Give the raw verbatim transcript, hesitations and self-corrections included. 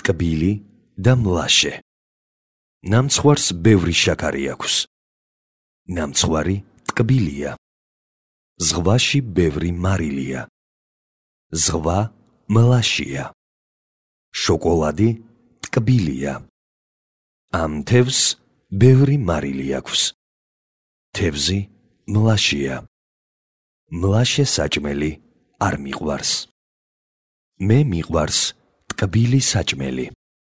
ტკბილი და მლაშე. ნამცხვარს ბევრი შაქარი აქვს. ნამცხვარი ტკბილია. ზღვაში ბევრი მარილია. ზღვა მლაშია. შოკოლადი ტკბილია. ამ თევზს ბევრი მარილი აქვს. თევზი მლაშია. მლაშე საჭმელი არ მიყვარს. მე მიყვარს ტკბილი საჭმელი.